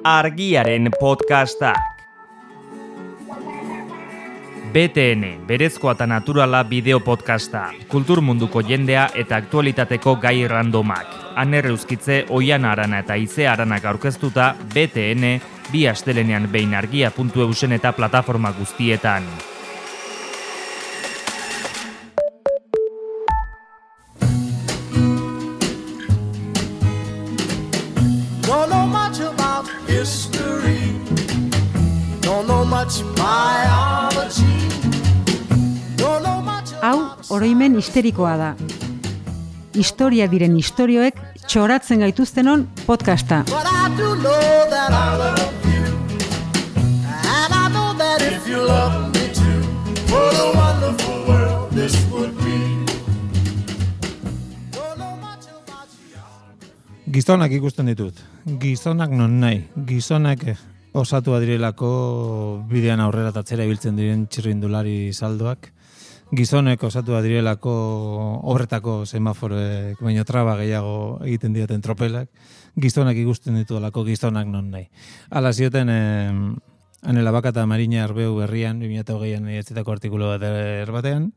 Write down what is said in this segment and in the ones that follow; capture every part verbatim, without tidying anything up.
Argiaren podcastak. B T N, berezkoa eta naturala bideo podcasta, kultur munduko jendea eta aktualitateko gai randomak. Aner Euskitze, Oiana Arana eta Ize Aranak aurkeztuta B T N, bi astelenean behin argia puntu eusen eta plataforma guztietan. Don't know much about history. Don't know much biology. Don't know much Hau, oroimen histerikoa da. Historia diren istorioek txoratzen gaituztenon podcasta. But I do know that I love you. And I know that if you love me too, what a wonderful world this would be. Don't know much about you. Gizonak ikusten ditut. Gizonak non nahi. Gizonak osatua direlako bidean aurrera tatzera ibiltzen diren txirrindulari saldoak. Gizonek osatua direlako horretako semaforoek baino traba gehiago egiten dioten tropelak. Gizonak ikusten ditudalako gizonak non nahi. Hala zioten eh, Anela Baka eta Marina Arbeu berrian, bi mila hogeian idatzitako artikulu bat erbatean.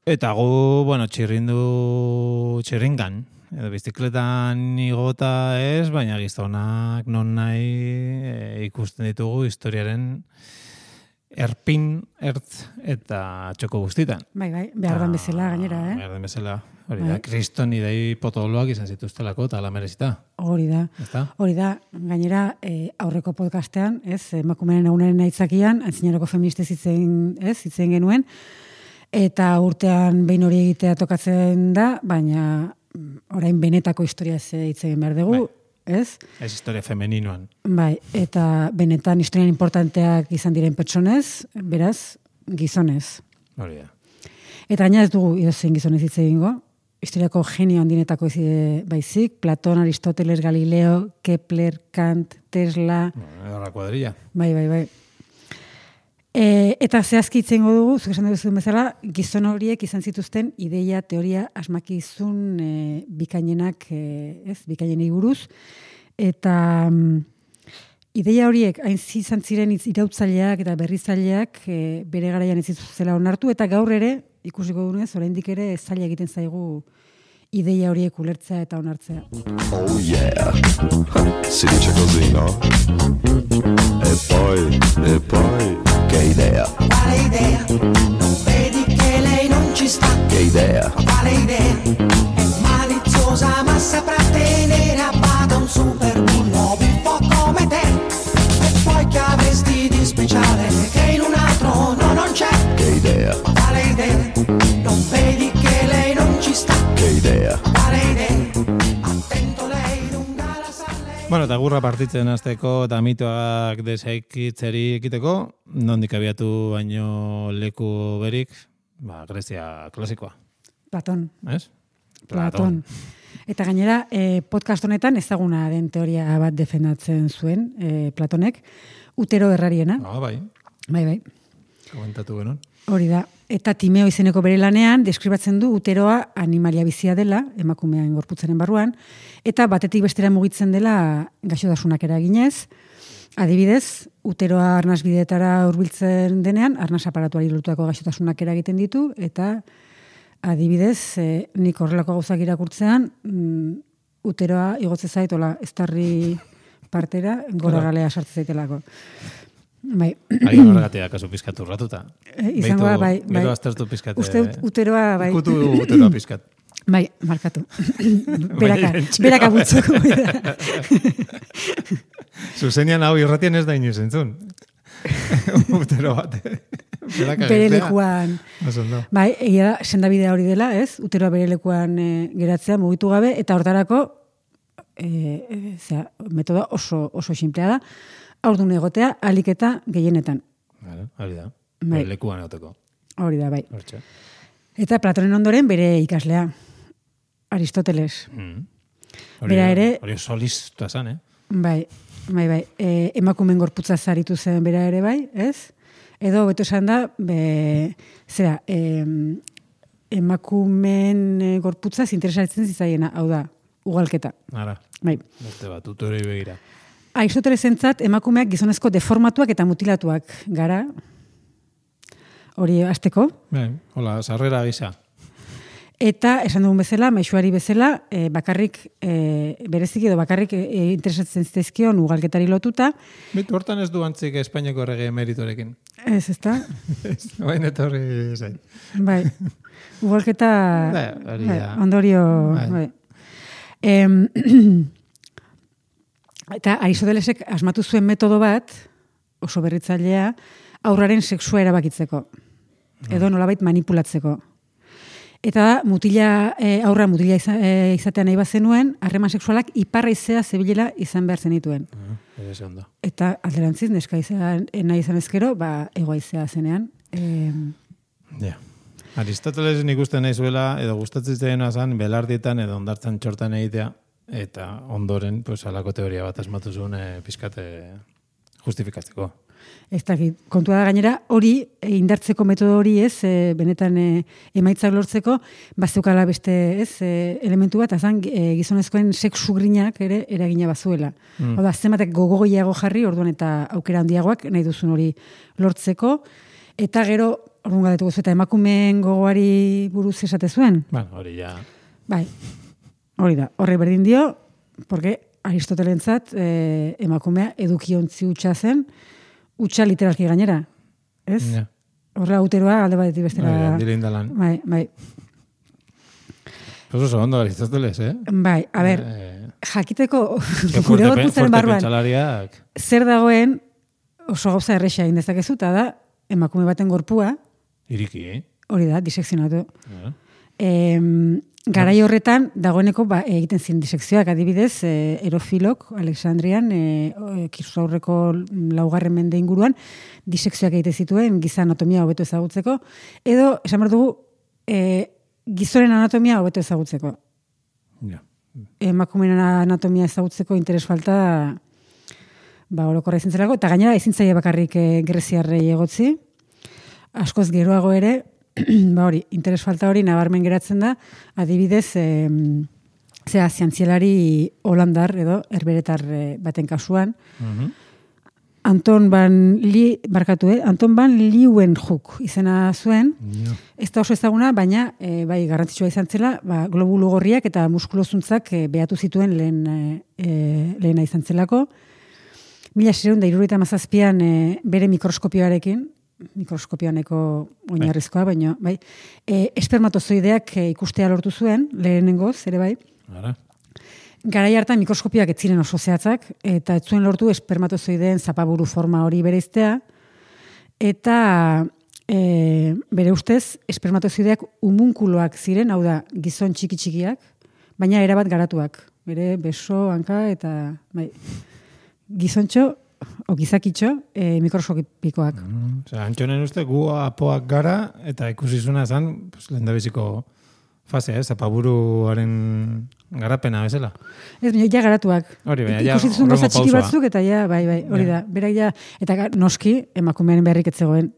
Eta gu, bueno, txirrindu txirringan, edo bizikletan igota ez, baina gizonak non nahi e, ikusten ditugu historiaren erpin, ertz eta txoko guztitan. Bai, bai, behar dan bezala gainera, eh? Behar den bezala. Hori Bai. da, kriston idei potoloak izan zituztelako eta ala merezita. Hori da. Ezta? Hori da, gainera eh, aurreko podcastean, ez, emakumeen egunaren aitzakian, antzinaroko feministez hitzen, ez, hitzen genuen, eta urtean behin hori egitea tokatzen da, baina orain benetako historia hitz egin behar dugu, Bai. ez? Ez historia femeninoan. Bai, eta benetan historian importanteak izan diren pertsonez, beraz, gizonez. Hori da. Eta gaina ez dugu edozein gizonez hitz egingo, historiako genio handinetako ez baizik, Platon, Aristoteles, Galileo, Kepler, Kant, Tesla, Horra kuadrilla. bai, bai, bai. E, eta zehazki itzengo dugu, zuk esan duzuen bezala, gizon horiek izan zituzten ideia, teoria, asmakizun e, bikainenak, e, ez, bikainenei buruz, eta mm, ideia horiek hain izan ziren irautzaileak eta berrizaileak e, bere garaian ez zituztela onartu, eta gaur ere, ikusiko dunez, oraindik ere zaila egiten zaigu ideia horiek ulertzea eta onartzea. Oh yeah, si dice così, no? E poi, e poi, che idea, Quale idea? Non vedi che lei non ci sta? che idea, Quale idea? È maliziosa ma saprà tenere a bada un super bullo un po' come te. E poi che avresti di speciale che in un altro no non c'è? che idea, Quale idea? Non vedi che lei non ci sta? che idea. Quale idea? Attento lei lunga la sale. Bueno, eta gurra partitzen hasteko eta mitoak desaikitzeri ekiteko, nondik abiatu baino leku berik, ba, Grezia klasikoa, Platon. ez? Platon. Eta gainera, eh, podcast honetan ezaguna den teoria bat defendatzen zuen eh, Platonek, utero errariena. Ah, bai, Bai, bai. komentatu genuen. Hori da. Eta Timeo izeneko bere lanean deskribatzen du uteroa animalia bizia dela, emakumean gorputzaren barruan, eta batetik bestera mugitzen dela gaixotasunak eraginez. Adibidez, uteroa arnas bideetara hurbiltzen denean, arnas aparatuari lotutako gaixotasunak eragiten ditu, eta adibidez, eh, nik horrelako gauzak irakurtzean, mm, uteroa igotze zaitola estarri partera, gora galea sartzen zaitelako. Bai. Ari horregatea kasu pizkat urratuta. Eh, izango da, bai, bai. Gero aztertu pizkat. Uste ut- uteroa, bai. Ikutu uteroa pizkat. Bai, markatu. beraka, beraka butzuko. Zuzenian hau irratian ez da inoiz entzun. Utero bat. Beraka Bere gertzea. lekuan. Oso ondo. Bai, egia da, sendabidea hori dela, ez? Uteroa bere lekuan e, geratzea mugitu gabe, eta hortarako, e, e, zera, metoda oso, oso simplea da, haurdun egotea, alik eta gehienetan. Vale, hori da. Bai. Bere lekuan egoteko. Hori da, bai. Hortxe. Eta Platonen ondoren bere ikaslea, Aristoteles. Mm. Hori, Bera ere, hori solistua zan, eh? bai, bai, bai, e, emakumen gorputza zaritu zen bera ere bai, ez? Edo, beto esan da, be, zera, e, emakumen e, gorputza interesatzen zitzaiena, hau da, ugalketa. Ara, Bai. beste bat, tutorei begira. Aristotelesentzat emakumeak gizonezko deformatuak eta mutilatuak gara. Hori hasteko. Bai, hola, sarrera gisa. Eta, esan dugun bezala, maixuari bezala, e, bakarrik, e, bereziki edo bakarrik e, interesatzen zitezkion ugalketari lotuta. Bitu, hortan ez du antzik Espainiako errege emeritorekin. Ez, ez da? Baina etorri zain. Bai, ugalketa... Bai, hori bai, ja. ondorio... Bai. Bai. Em, eta Aristotelesek asmatu zuen metodo bat, oso berritzailea, aurraren sexua erabakitzeko. Edo nolabait manipulatzeko. Eta da, mutila, e, aurra mutila iza, e, izatea nahi bazenuen, harreman sexualak iparra izea zebilela izan behar zenituen. Uh, Ere ondo. Eta alderantziz, neska izan, nahi izan ezkero, ba, egoa izea zenean. E, Ja. Aristoteles nik uste nahi zuela, edo gustatzen zaioa zan, belardietan edo ondartzan txortan egitea, eta ondoren, pues, alako teoria bat asmatu zuen e, pizkate justifikatzeko. Ez dakit, kontua da gainera, hori, e, indartzeko metodo hori ez, e, benetan e, emaitzak lortzeko, bazeukala beste ez, e, elementu bat, azan e, gizonezkoen sexu grinak ere eragina bazuela. Mm. Oda, zenbatek gogogoiago jarri, orduan eta aukera handiagoak nahi duzun hori lortzeko, eta gero, orduan gadetu gozu, eta emakumeen gogoari buruz esate zuen. Bueno, hori ja... Bai, hori da, horre berdin dio, porque Aristotelentzat e, emakumea edukiontzi hutsa zen, utxa literalki gainera, ez? Ja. Horra uteroa alde batetik bestera. Bai, handire indalan. Bai, bai. Oso oso ondo Aristoteles, eh? Bai, a ber, Eh, jakiteko que gure fuerte, gorputzaren fuerte barruan pentsalariak. zer dagoen oso gauza erresa egin dezakezu, eta da emakume baten gorpua, Iriki, eh? hori da, disekzionatu. Ja. E, garai horretan, dagoeneko ba, egiten ziren disekzioak, adibidez, e, Erofilok, Alexandrian, e, Kristu aurreko laugarren mende inguruan, disekzioak egite zituen, giza anatomia hobeto ezagutzeko, edo, esan behar dugu, e, gizonen anatomia hobeto ezagutzeko. Ja. Emakumeen anatomia ezagutzeko interes falta, ba, orokorra izan zelako, eta gainera ezin zaie bakarrik e, greziarrei egotzi, askoz geroago ere, ba hori, interes falta hori nabarmen geratzen da, adibidez, e, zera, zientzialari holandar edo herberetar e, baten kasuan, Mhm. Anton van Li, barkatu, eh? Anton van Leeuwenhoek izena zuen, Ja. ez da oso ezaguna, baina e, bai garrantzitsua izan zela, ba, globulu gorriak eta muskulozuntzak e, behatu zituen lehen, e, lehena izan zelako. Mila seiehun eta hirurogeita hamazazpian e, bere mikroskopioarekin, mikroskopioaneko oinarrizkoa, baina bai, e, espermatozoideak e, ikustea lortu zuen, lehenengoz, ere bai. Ara. Garai hartan mikroskopioak ez ziren oso zehatzak, eta ez zuen lortu espermatozoideen zapaburu forma hori bereiztea, eta e, bere ustez, espermatozoideak umunkuloak ziren, hau da, gizon txiki-txikiak, baina erabat garatuak. Bere beso, hanka, eta bai, gizontxo, o gizakitxo, e, mikroskopikoak. Mm, Osea, Antxonen uste gu apoak gara, eta ikusizuna zan, pues, lehendabiziko fasea, ez, zapaburuaren garapena bezala. Ez, baina ja garatuak. Hori, baina ja Ikusi zuen horrengo gauza txiki pausoa. batzuk, eta ja, bai, bai, hori Ja. da. Berak ja, eta ga- noski, emakumearen beharrik ez zegoen.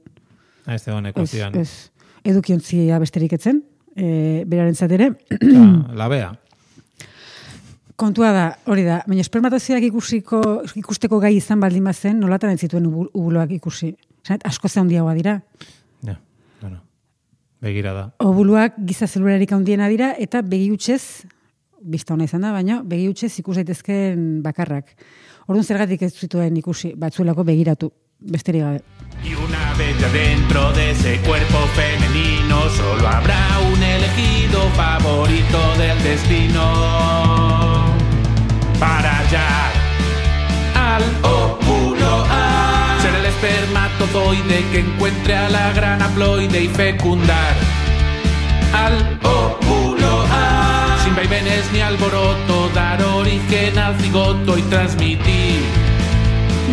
Ah, ez dagoen ekuazioan. Ez, ez, edukiontzia besterik etzen, e, berarentzat ere. Osea, labea. Kontua da, hori da, baina espermatozoideak ikusiko, ikusteko gai izan baldin bazen, nolatan ez zituen ubu- ubuloak ikusi. Zanet, asko ze handiagoa dira. Ja, bueno. Begira da. Obuluak giza zelularik handiena dira, eta begi hutsez, bista ona izan da, baina begi hutsez ikus daitezkeen bakarrak. Orduan zergatik ez zituen ikusi, batzuelako begiratu, besterik gabe. Y una vez ya dentro de ese cuerpo femenino solo habrá un elegido favorito del destino para hallar al óvulo A, ser el espermatozoide que encuentre a la gran haploide y fecundar al óvulo A, sin vaivenes ni alboroto, dar origen al cigoto y transmitir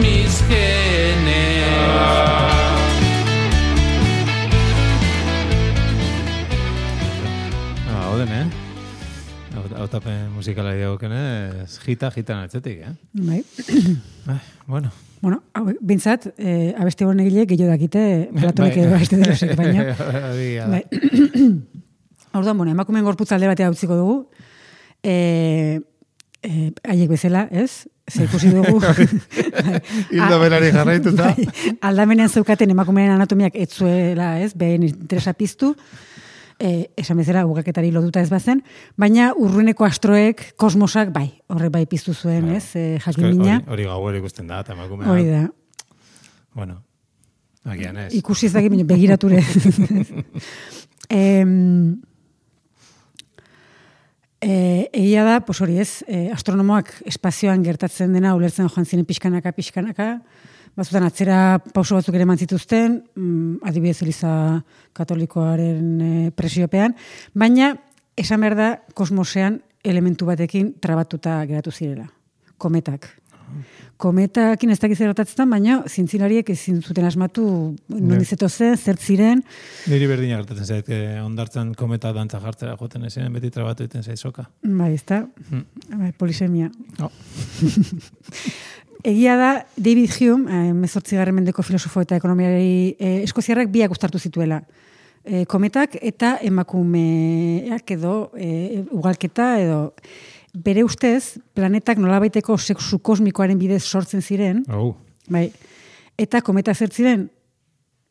mis genes. Ah, oden, eh? Hau- Hautapen musikala diokenez, jita, jitan atzetik, eh? Bai. Ai, bueno. Bueno, hau, bintzat, e, abeste honen egile gehiago dakite Platonek Bai. edo Aristotelesek, baina. Hori da. Bai. Orduan, bueno, emakumeen gorputza alde batea utziko dugu. E, e, haiek bezala, ez? ze ikusi dugu. Hildo berari jarraituta. Bai, aldamenean zeukaten emakumearen anatomiak ez zuela, ez, behen interesa piztu, e, esan bezala ugaketari loduta ez bazen, baina urruneko astroek, kosmosak, bai, horrek bai piztu zuen, ez, e, jakin mina. Hori, hori gauero ikusten da, eta emakumea. Hori da. Bueno, agian ez. Ikusi ez dakit, begirature. em, E, egia da, pues hori ez, e, astronomoak espazioan gertatzen dena ulertzen joan ziren pixkanaka, pixkanaka, batzutan atzera pauso batzuk ere eman zituzten, mm, adibidez Eliza Katolikoaren e, presiopean, baina esan behar da kosmosean elementu batekin trabatuta geratu zirela, kometak. Kometakin ez dakiz gertatzen, baina zintzilariek ezin zuten asmatu nondizeto zen, zert ziren. Niri berdina gertatzen zait, ondartzan kometa dantza jartzera joten ezin, beti trabatu egiten zait soka. Bai, ez da, Mm. bai, polisemia. Oh. Egia da, David Hume, hemezortzigarren mendeko filosofo eta ekonomiari eh, eskoziarrak biak uztartu zituela. Eh, kometak eta emakumeak edo eh, ugalketa edo bere ustez, planetak nolabaiteko sexu kosmikoaren bidez sortzen ziren, Oh. bai, eta kometak zer ziren,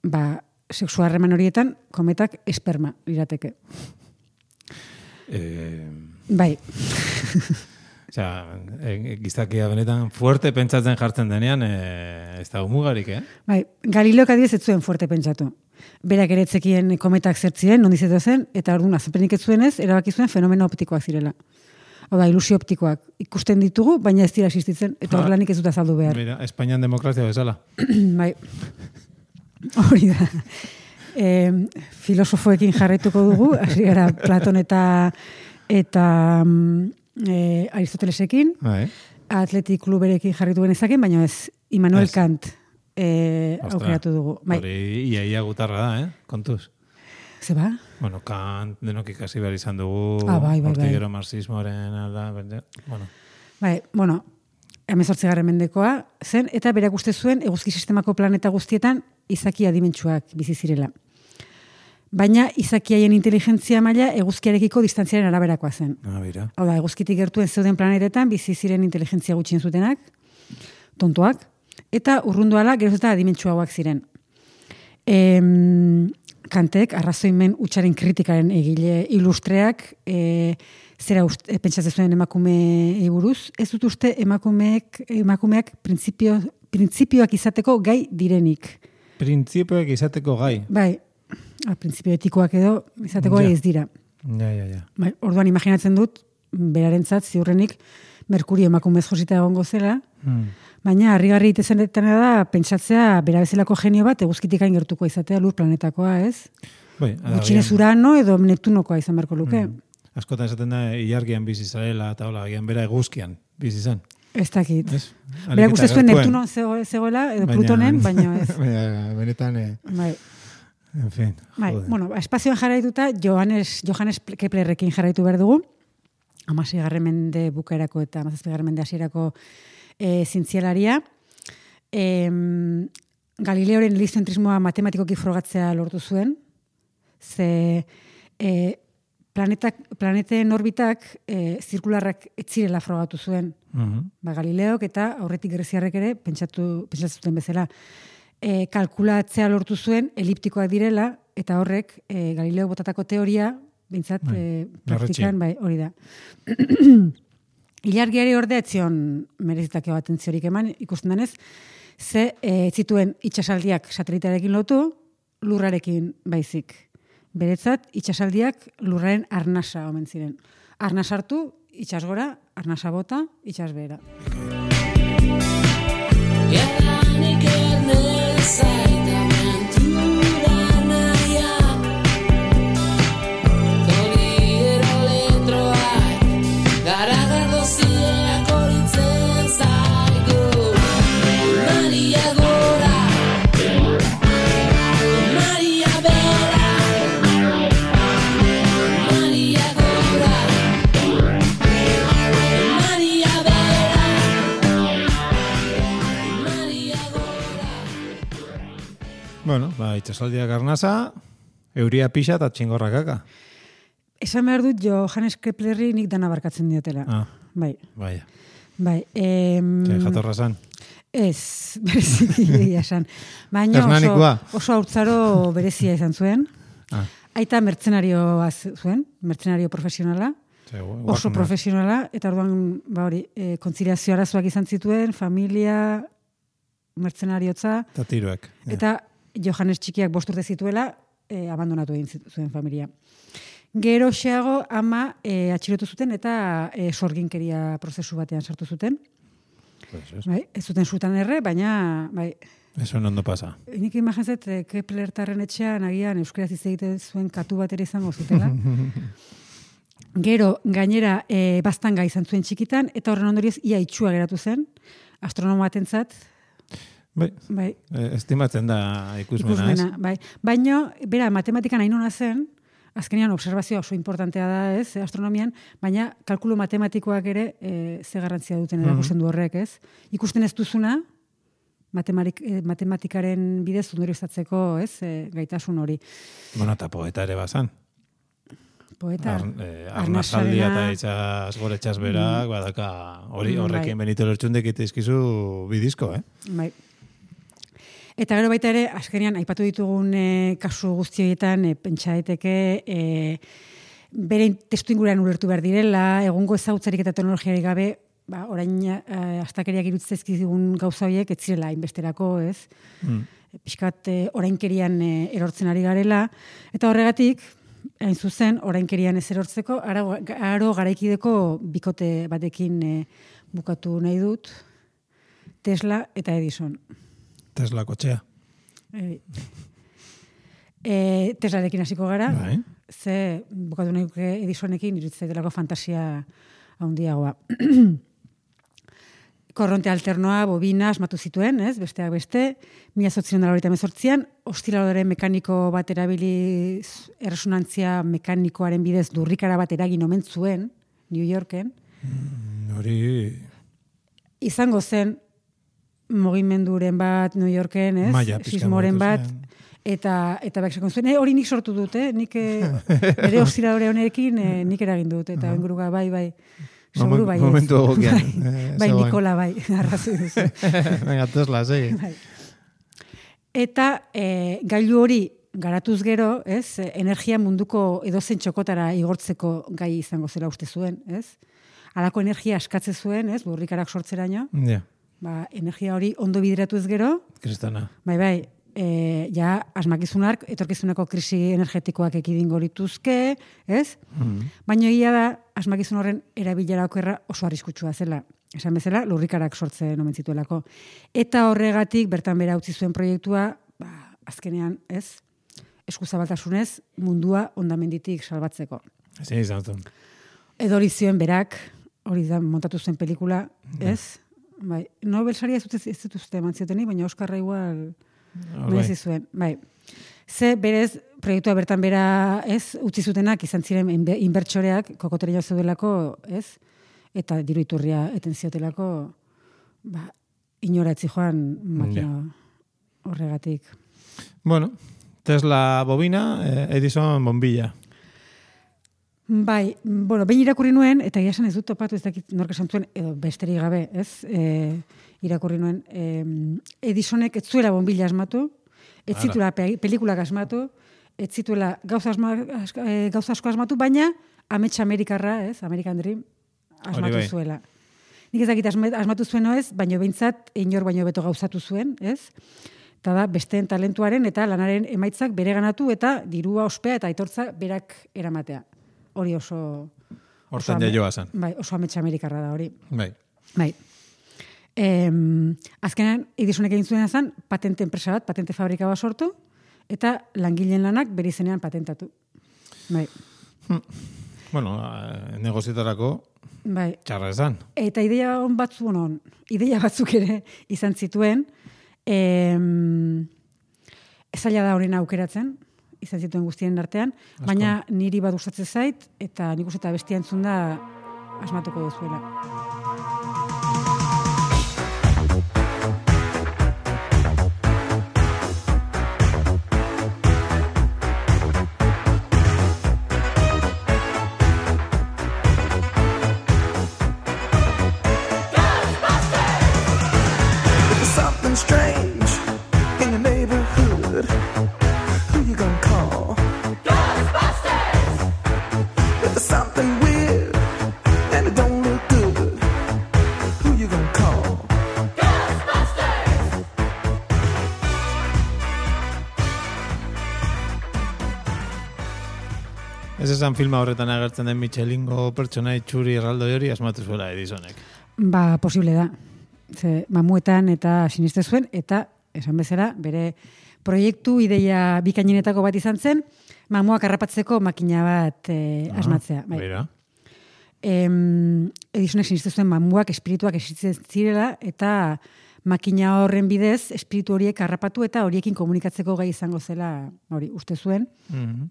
ba, sexu harreman horietan, kometak esperma lirateke. Eh, Bai, Osea, e, gizakia benetan fuerte pentsatzen jartzen denean, e, ez da umugarik, eh? bai, Galileok adibidez ez zuen fuerte pentsatu. Berak ere ez zekien kometak zer ziren, nondizeto zen, eta orduan azepenik ez zuenez, erabaki zuen fenomeno optikoak zirela. Hau da, ilusio optikoak ikusten ditugu, baina ez dira existitzen, eta Ha. horrelanik ez dut azaldu behar. Mira, Espainian demokrazia bezala. Bai, hori da. E, filosofoekin jarraituko dugu, hasi gara Platon eta eta e, Aristotelesekin, Bai. Atletik kluberekin jarraitu genezaken, baina ez, Immanuel Ez. Kant e, Ostra, aukeratu dugu. Bai, Hori ia, ia gutarra da, eh? Kontuz. ze ba? Bueno, Kant denok ikasi behar izan dugu, Ah, bai, bai, bai. hortik gero marxismoaren, alda, berde, bueno. Bai, bueno, hemezortzigarren mendekoa zen, eta berak uste zuen eguzki sistemako planeta guztietan izaki adimentsuak bizi zirela. Baina izaki haien inteligentzia maila eguzkiarekiko distantziaren araberakoa zen. Ah, bira. Hau da, eguzkitik gertuen zeuden planetetan bizi ziren inteligentzia gutxien zutenak, tontoak, eta urrunduala geroz eta adimentsuagoak ziren. Em, Kantek, arrazoimen utxaren kritikaren egile ilustreak, e, zera uste, e, pentsatzen zuen emakume buruz, ez dut uste emakumeek, emakumeak printzipio, printzipioak izateko gai direnik. Printzipioek izateko gai. Bai, a, printzipio etikoak edo izateko Ja. gai ez dira. Ja, ja, ja. Bai, orduan imaginatzen dut, berarentzat ziurrenik Merkurio emakumez josita egongo zela, Hmm. baina harrigarri itezenetana da pentsatzea bera bezalako genio bat eguzkitik hain gertuko izatea lur planetakoa, ez? Bai, ada, Gutxienez agian- Urano edo Neptunokoa izan beharko luke. Mm. Askotan esaten da, ilargian bizi zarela, eta hola, agian bera eguzkian bizi zen. Ez dakit. Ez? Berak uste zuen gertuen. Neptunon zego, zegoela edo Plutonen, baina ez. Baina, benetan, eh, Bai. en fin, Bai, joder. bueno, ba, espazioan jarraituta Johannes, Johannes Keplerrekin jarraitu behar dugu, hamaseigarren mende bukaerako eta hamazazpigarren mende hasierako e, zientzialaria. E, Galileoren heliozentrismoa matematikoki frogatzea lortu zuen, ze e, planetak, planeten orbitak e, zirkularrak etzirela frogatu zuen. Mhm. Ba, Galileok eta aurretik greziarrek ere pentsatu, pentsatzen zuten bezala. E, kalkulatzea lortu zuen eliptikoak direla, eta horrek e, Galileo botatako teoria, bintzat, Bai, e, larretxea. praktikan, bai, hori da. Ilargiari ordea etzion merezitake bat entziorik eman, ikusten denez, ze e, ez zituen itxasaldiak satelitarekin lotu, lurrarekin baizik. Beretzat, itxasaldiak lurraren arnasa omen ziren. Arnas hartu, itxas gora, arnasa bota, itxas behera. Jadanik ernezait aventura naia Toliero letroak garagardo zileak horitzen zaigu Maria gora Maria bera Maria gora Maria bera Maria gora Bueno, ba, itxasaldiak arnasa, euria pixa eta txingorra kaka. Esan behar dut Johannes Keplerri nik dana barkatzen diotela. Ah, Bai. baia. Bai, em, Ze, jatorra zan. ez, bereziki egia esan. Baina oso, Hernanikoa. oso haurtzaro berezia izan zuen. Ah, Aita mertzenarioa zuen, mertzenario profesionala. ze, gu- Oso Wagner. profesionala, eta orduan, ba hori, e, kontziliazio arazoak izan zituen, familia, mertzenariotza, Eta tiroek. Ja. eta Johannes txikiak bost urte zituela, e, abandonatu egin zit- zuen familia. Gero xeago ama e, atxilotu zuten eta e, sorginkeria prozesu batean sartu zuten. Pues ez. Bai, ez zuten sutan erre, baina bai, Eso ondo pasa. nik imaginatzen e, Keplertarren etxean agian euskeraz hitz egiten zuen katu bat ere izango zutela. Gero, gainera, e, baztanga izan zuen txikitan, eta horren ondorioz ia itxua geratu zen, astronomo batentzat, Bai, bai, eh, estimatzen da ikusmena, ikusmena, ez? bai. Baina, bera, matematikan hain ona zen, azkenean observazioa oso importantea da, ez, astronomian, baina kalkulu matematikoak ere e, ze garrantzia duten erakusten du horrek, ez? Ikusten ez duzuna, matematik, eh, matematikaren bidez ondorioztatzeko, ez, e, gaitasun hori. Bueno, eta poeta ere bazan. Poeta, Ar, eh, Arnazaldia eta itxas gore itxas berak, badaka hori Mm, horrekin bai. Benito Lertxundek itizkizu bidizko, eh? bai. Eta gero baita ere, azkenean, aipatu ditugun e, kasu guztioetan, e, pentsa daiteke, e, bere testu inguruan ulertu behar direla, egungo ezagutzarik eta teknologiarik gabe, ba, orain e, astakeriak irutzezkizigun gauza horiek, ez zirela hainbesterako, ez? Mm. Piskat e, orainkerian e, erortzen ari garela, eta horregatik, hain zuzen, orainkerian ez erortzeko, aro, aro garaikideko bikote batekin e, bukatu nahi dut, Tesla eta Edison. Tesla kotxea. E, e, Teslarekin hasiko gara, Bai. ze bukatu nahi duke Edisonekin iruditzen delako fantasia handiagoa. Korronte alternoa, bobina, asmatu zituen, ez? Besteak beste, mila zortziehun eta laurogeita hemezortzian, ostiladore mekaniko bat erabiliz, erresonantzia mekanikoaren bidez lurrikara bat eragin omen zuen, New Yorken. Hori Izango zen mugimenduren bat New Yorken, ez? Maila pixka Sismoren mugitu bat, zen. eta eta bak esaten zuen, e, hori nik sortu dut, eh? Nik eh, ere ostiladore honekin eh, nik eragin dut, eta inguruka bai, bai. Seguru bai. ez. Momentu egokian. Bai, eh, bai zegoen. Nikola bai, arrazoi duzu. Venga, Tesla, segi. Bai. Eta e, gailu hori garatuz gero, ez, energia munduko edozen txokotara igortzeko gai izango zela uste zuen, ez? Halako energia askatze zuen, ez, burrikarak sortzeraino, Ja, ba, energia hori ondo bideratuz gero, kristana. bai, bai, e, ja asmakizunak, etorkizuneko krisi energetikoak ekidingo lituzke, ez? Baina egia da, asmakizun horren erabilera okerra oso arriskutsua zela. Esan bezala, lurrikarak sortzen omen zituelako. Eta horregatik, bertan bera utzi zuen proiektua, ba, azkenean, ez? Eskuzabaltasunez, mundua ondamenditik salbatzeko. Ezin izan zuen. Edo hori zioen berak, hori da montatu zen pelikula, ez? Bai, Nobel saria ez dut ez dut uste eman zioteni, baina Oskarra igual merezi zuen. Bai. Ze berez, proiektua bertan bera, ez, utzi zutenak izan ziren inbe- inbertsoreak kokoteria zeudelako, ez? Eta diru iturria eten ziotelako, ba, inoratzi joan makina horregatik. Bueno, Tesla bobina, eh, Edison bombilla. Bai, bueno, behin irakurri nuen, eta egia esan ez dut topatu, ez dakit nork esan zuen, edo besterik gabe, ez? E, irakurri nuen, e, Edisonek ez zuela bombilla asmatu, ez Ara. zituela pe- pelikulak asmatu, ez zituela gauza, asma, as- e, gauza asko asmatu, baina amets Amerikarra, ez? American Dream, asmatu bai. zuela. Nik ez dakit asme- asmatu zuen ez, baino behintzat, inor baino beto gauzatu zuen, ez? Eta da, besteen talentuaren eta lanaren emaitzak bere ganatu eta dirua ospea eta aitortza berak eramatea. Hori oso... Hortan oso ame- jaioa zen. Bai, oso amets Amerikarra da hori. Bai. Bai. Em, azkenean, Edisonek egin zuena zen, patente enpresa bat, patente fabrika bat sortu, eta langileen lanak bere izenean patentatu. Bai. Bueno, eh, negozietarako Bai. txarra esan. Eta ideia on batzu, bueno, ideia batzuk ere izan zituen, em, zaila da horren aukeratzen, izan zituen guztien artean, baina niri bat gustatzen zait, eta nik uste eta bestia entzun da asmatuko duzuela. esan filma horretan agertzen den Michelingo pertsona itxuri erraldoi hori asmatu zuela Edisonek. Ba, posible da. Ze, mamuetan eta siniste zuen, eta esan bezala, bere proiektu ideia bikainenetako bat izan zen, mamuak harrapatzeko makina bat eh, asmatzea. Bai. Bera. Em, Edisonek siniste zuen mamuak espirituak existitzen zirela, eta makina horren bidez, espiritu horiek harrapatu eta horiekin komunikatzeko gai izango zela, hori, uste zuen. Mhm.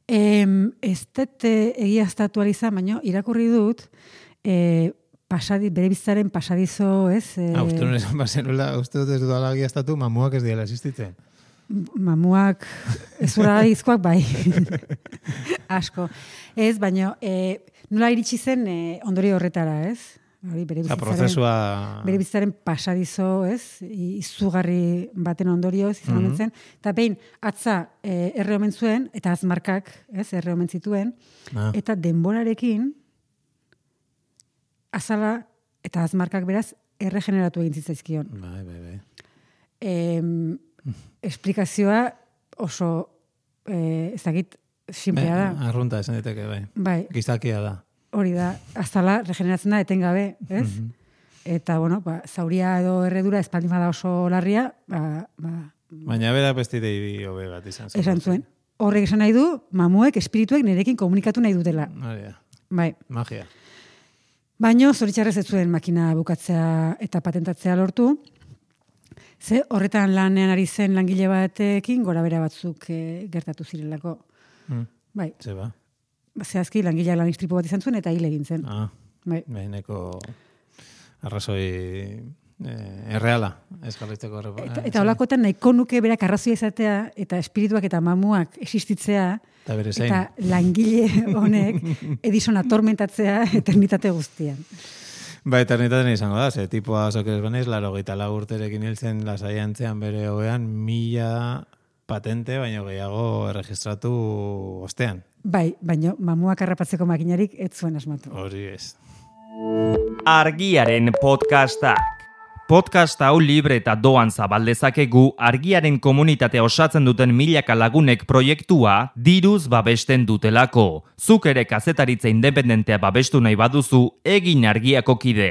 Em, ez dut eh, egiaztatu izan, baina irakurri dut, eh, pasadi, bere bizitzaren pasadizo, ez? Eh, Ah, uste dut esan bazenula, uste dut ez dudala egiaztatu, mamuak ez diela existitzen. mamuak, ez izkoak bai. Asko. Ez, baina, eh, nola iritsi zen eh, ondorio horretara, ez? Hori, bere Eta bizitzaren, prozesua... bere bizitzaren pasadizo, ez? Izugarri baten ondorioz izan omen zen. Eta behin, atza eh, erre omen zuen, eta azmarkak, ez? Erre omen zituen. Ah. Eta denborarekin, azala eta azmarkak beraz, erregeneratu egin zitzaizkion. Bai, bai, bai. Em, esplikazioa oso, eh, ez dakit, simplea da. Bai, arrunta esan diteke, bai. Bai, Gizakia da. hori da, azala regeneratzen da etengabe, ez? Eta, bueno, ba, zauria edo erredura espaldin bada oso larria, ba, ba, Baina bera bestidei hobe bat izan zen. esan zuen. Horrek esan nahi du, mamuek, espirituek nerekin komunikatu nahi dutela. Hori da. Bai. Magia. Baino, zoritxarrez ez zuen makina bukatzea eta patentatzea lortu. Ze horretan lanean ari zen langile batekin gora bera batzuk eh, gertatu zirelako. Mm. Bai, Zeba. zehazki langileak lan istripu bat izan zuen eta hil egin zen. Ah, Bai. behineko arrazoi eh, erreala, ez jarraitzeko errepa. Eta, eta holakotan nahiko nuke berak arrazoia izatea eta espirituak eta mamuak existitzea Eta bere zein. eta langile honek Edison atormentatzea eternitate guztian. Ba, eternitaten izango da, ze tipoa zokerez banez, laro gita urterekin hiltzen lasaiantzean bere hobean mila patente, baino gehiago erregistratu ostean. Bai, baino mamuak harrapatzeko makinarik ez zuen asmatu. Hori ez. Argiaren podcastak. Podcast hau libre eta doan zabaldezakegu argiaren komunitatea osatzen duten milaka lagunek proiektua diruz babesten dutelako. Zuk ere kazetaritza independentea babestu nahi baduzu egin argiako kide.